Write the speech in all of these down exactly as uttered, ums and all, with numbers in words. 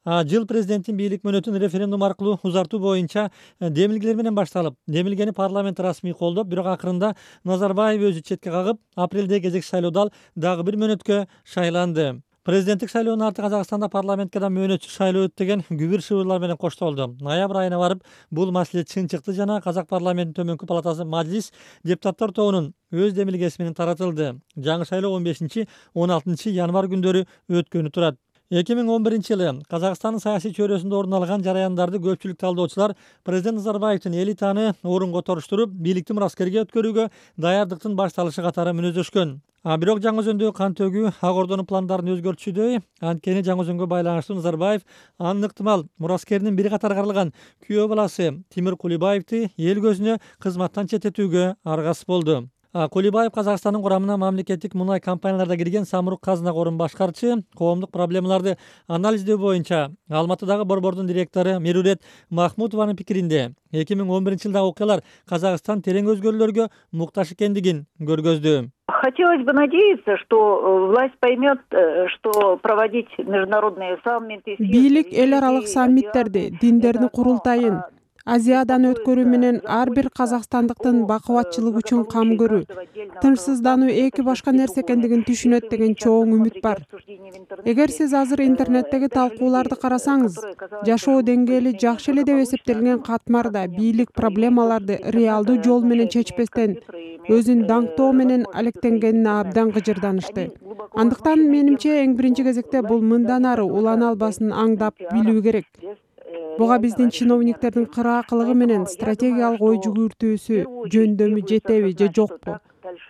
А, Жыл президенттин бийлик мөөнөтүн референдум аркылуу узартуу боюнча демилгелер менен башталып, демилгени парламент расмий колдоп, бирок акырында Назарбаев өзү четке кагып, апрелдеги кезекчи шайлоодо ал дагы бир мөөнөткө шайланды. Президенттик шайлоонун арты Казакстанда парламентке да мөөнөтчү шайлоо өтт деген күбүр шыбырлар менен коштолду. Ноябрь айына барып бул маселе чын чыкты жана Казак парламентинин төмөнкү палатасы Мажилис депутаттар тобунун өз демилгеси менен таратылды. Жаңы шайлоо он бешинчи он алтынчы январь күндөрү өткөнү турат. эки миң он биринчи жылы Казакстандын саясий чөйрөсүндө орун алган жараяндарды көпчүлүк талдоочулар президент Назарбаевдин эл итаны орунго торуштуруп, бийликти мураскерге өткөрүүгө даярдыктын башталышы катары мүнөздөшкөн. А бирок жаңы өзөндөгү кан төгүү Ак Ордонун пландарын өзгөртчүдөй. Анткени жаңы өзөнгө байланыштуу Назарбаев анын ыктымал мураскеринин бир катар каралган күйөө баласы Тимир Кулибаевди эл көзүнө кызматтан четтетүүгө аргасыз болду. Кулибаев Казакстандын курамына мамлекеттик мунай компанияларда кирген Самрук казына корун башкарчы, коомдук проблемаларды анализдөө боюнча Алматыдагы борбордун директору Мерурет Махмутованын пикиринде эки миң он биринчи жылдагы окуялар Казакстан терең өзгөрүүлөргө муктаж экендигин көргөздү. Хотелось бы надеяться, что власть поймет, что проводить международные саммиты. Бийлик эл аралык саммиттерди, диндердин курултайын Азиядан өткөрүү менен ар бир казакстандыктын бакубатчылыгы үчүн кам көрүү, тынчсыздануу эки башка нерсе экендигин түшүнөт деген чоң үмүт бар. Эгер сиз азыр интернеттеги талкууларды карасаңыз, жашоо деңгээли жакшы эле деп эсептелген катмарда бийлик проблемаларды реалдуу жол менен чечпестен өзүн даңктоо менен алектенгенине абдан кыжырданышты. Андыктан менимче эң биринчи кезекте бул мындан ары улана албасын аңдап билүү керек. Буга биздин чиновниктердин кыраакылыгы менен стратегиялык ой жүгүртүүсү жөндөмү жетеби же жокпу?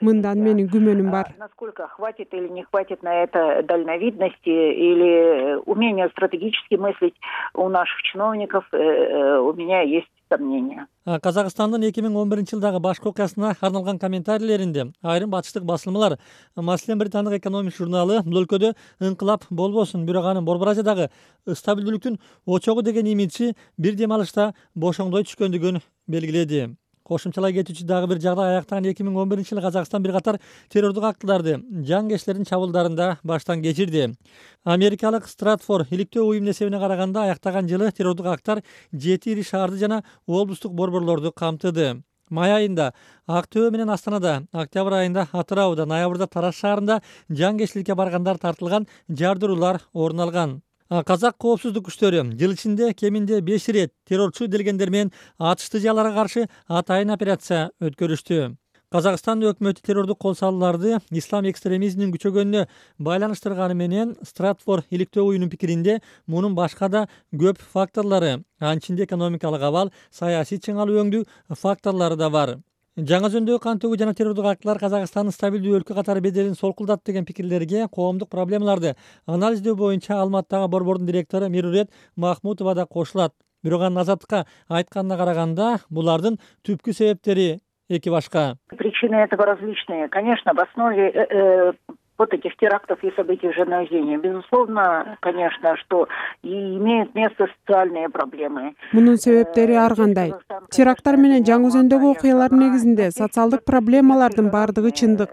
Мындан менин күмөнүм бар. Насколько хватит или не хватит на это дальновидности или умения стратегически мыслить у наших чиновников, у меня есть сомнения. Казакстандын эки миң он биринчи жылдагы башкы окуясына арналган комментарийлеринде айрым батыштык басылмалар, маселен британдык экономик журналы бул өлкөдө ыңкылап болбосун, бирок анын Борбор Азиядагы стабилдүүлүктүн очогу деген имиджи бир дем алышта бошоңдой түшкөндүгүн белгиледи. Кошумчалай кетүүчү дагы бир жагдай аяктаган эки миң он биринчи жылы Казакстан бир катар террордук актыларды жангечтердин чабуулдарында баштан кечирди. Америкалык Стратфор иликтөө уюмунун эсебине караганда аяктаган жылы террордук акттар жети ири шаарды жана облустук борборлорду камтыды. Май айында Ак Төбө менен Астанада, октябрь айында Атырауда, ноябрда Тараз шаарында жангечтикке баргандар тартылган жардыруулар орун алган. Казак коопсуздук күчтөрү жыл ичинде кеминде беш ирет террорчу делгендер менен атышты жааларга каршы атайын операция өткөрүштү. Казакстан өкмөтү террордук кол салууларды ислам экстремизминин күчөгөнүнө байланыштырганы менен Стратфор иликтөө уюмунун пикиринде мунун башка да көп факторлору, анын ичинде экономикалык абал, саясий чыңалуу өңдүү факторлору да бар. Жаңы өзөндөгү кан төгүү жана террордук актылар Казакстандын стабилдүү өлкө катары беделин солкулдат деген пикирлерге коомдук проблемаларды анализдөө боюнча Алматыдагы борбордун директору Мерурет Махмутова да кошулат. Бирок анын Азаттыкка айтканына караганда, булардын түпкү себептери эки башка. Причины этого различные. Конечно, в основе э, вот этих терактов и событий в Жанаузене, безусловно, конечно, что и имеют место социальные проблемы. Мунун себептери ар кандай. Теракттар менен жаңы өзөндөгү окуялар негизинде социалдык проблемалардын бардыгы чындык.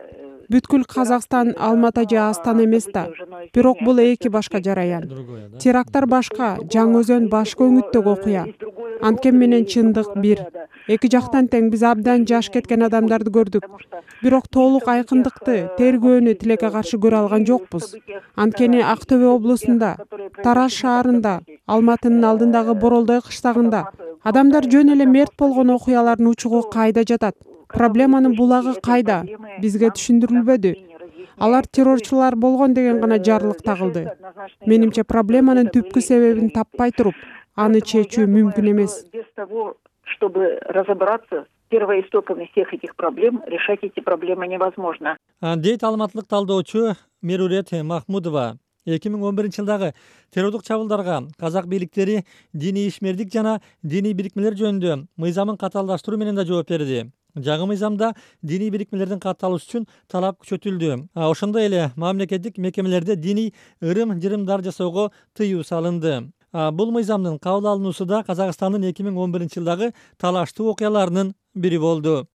Бүткүл Казакстан Алмата же Астана эмес да. Бирок бул эки башка жараян. Теракттар башка, жаңы өзөн башка өңүттөгү окуя. Анткени менен чындык бир. Эки жактан тең биз абдан жаш кеткен адамдарды көрдүк. Бирок толук айкындыкты, тергөөнү тилекке каршы көрө алган жокпуз. Анткени Ак Төбө облусунда, Тараз шаарында, Алматынын алдындагы Боролдой кыштагында адамдар жөн эле мерт болгон окуялардын учугу кайда жатат? Проблеманын булагы кайда? Бизге түшүндүрүлбөдү. Алар террорчулар болгон деген гана жарлык тагылды. Менимче проблеманын түпкү себебин таппай туруп, аны чечүү мүмкүн эмес. Без того, чтобы разобраться с первоистоками всех этих проблем, решать эти проблемы невозможно. Дейт алматылык талдоочу Мерурет Махмутова. эки миң он биринчи жылдагы террордук чабуулдарга казак бийликтери диний ишмердик жана диний бирикмелер жөнүндө мыйзамын катаалдаштыруу менен да жооп берди. Жаңы мыйзамда диний бирикмелердин катталышы үчүн талап күчөтүлдү. Ошондой эле мамлекеттик мекемелерде диний ырым-жырымдар жасоого тыюу салынды. Бул мыйзамдын кабыл алынуусу да Казакстандын эки миң он биринчи жылдагы талаштуу окуяларынын бири болду.